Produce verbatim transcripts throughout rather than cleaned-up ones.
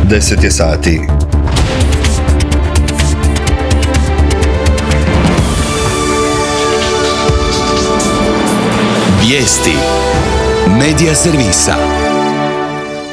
deset je sati. Vijesti Medija servisa.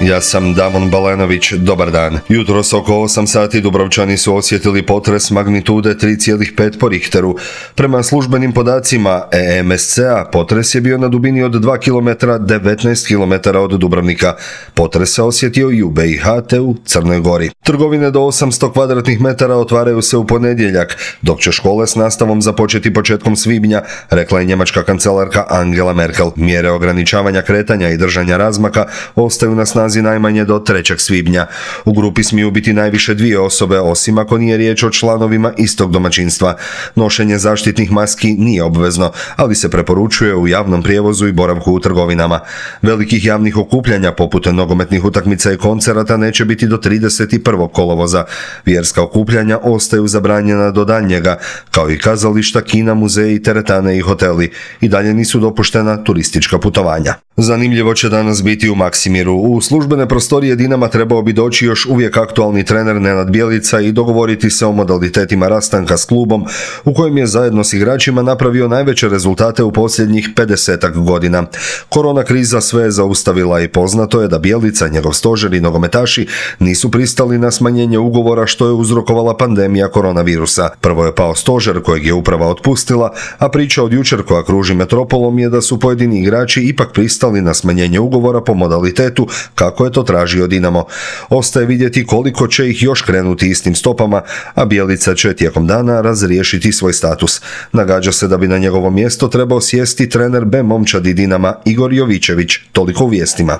Ja sam Damon Balenović, dobar dan. Jutros oko osam sati Dubrovčani su osjetili potres magnitude tri zarez pet po Richteru. Prema službenim podacima E M S C-a potres je bio na dubini od dva kilometra, devetnaest kilometara od Dubrovnika. Potres se osjetio i u B i H te u Crnoj Gori. Trgovine do osamsto kvadratnih metara otvaraju se u ponedjeljak, dok će škole s nastavom započeti početkom svibnja, rekla je njemačka kancelarka Angela Merkel. Mjere ograničavanja kretanja i držanja razmaka ostaju na snazi najmanje do trećeg svibnja. U grupi smiju biti najviše dvije osobe, osim ako nije riječ o članovima istog domaćinstva. Nošenje zaštitnih maski nije obvezno, ali se preporučuje u javnom prijevozu i boravku u trgovinama. Velikih javnih okupljanja poput nogometnih utakmica i koncerata neće biti do trideset prvog kolovoza. Vjerska okupljanja ostaju zabranjena do daljnjega, kao i kazališta, kina, muzeji, teretane i hoteli. I dalje nisu dopuštena turistička putovanja. Zanimljivo će danas biti u Maksimiru. U službene prostorije Dinama trebao bi doći još uvijek aktualni trener Nenad Bjelica i dogovoriti se o modalitetima rastanka s klubom, u kojem je zajedno s igračima napravio najveće rezultate u posljednjih pedesetak godina. Korona kriza sve je zaustavila i poznato je da Bjelica, njegov stožer i nogometaši nisu pristali na smanjenje ugovora što je uzrokovala pandemija koronavirusa. Prvo je pao stožer kojeg je uprava otpustila, a priča od jučer koja kruži metropolom je da su pojedini igrači ipak pristali na smanjenje ugovora po modalitetu kako je to tražio Dinamo. Ostaje vidjeti koliko će ih još krenuti istim stopama, a Bjelica će tijekom dana razriješiti svoj status. Nagađa se da bi na njegovo mjesto trebao sjesti trener B momčadi Dinama Igor Jovičević, toliko u vijestima.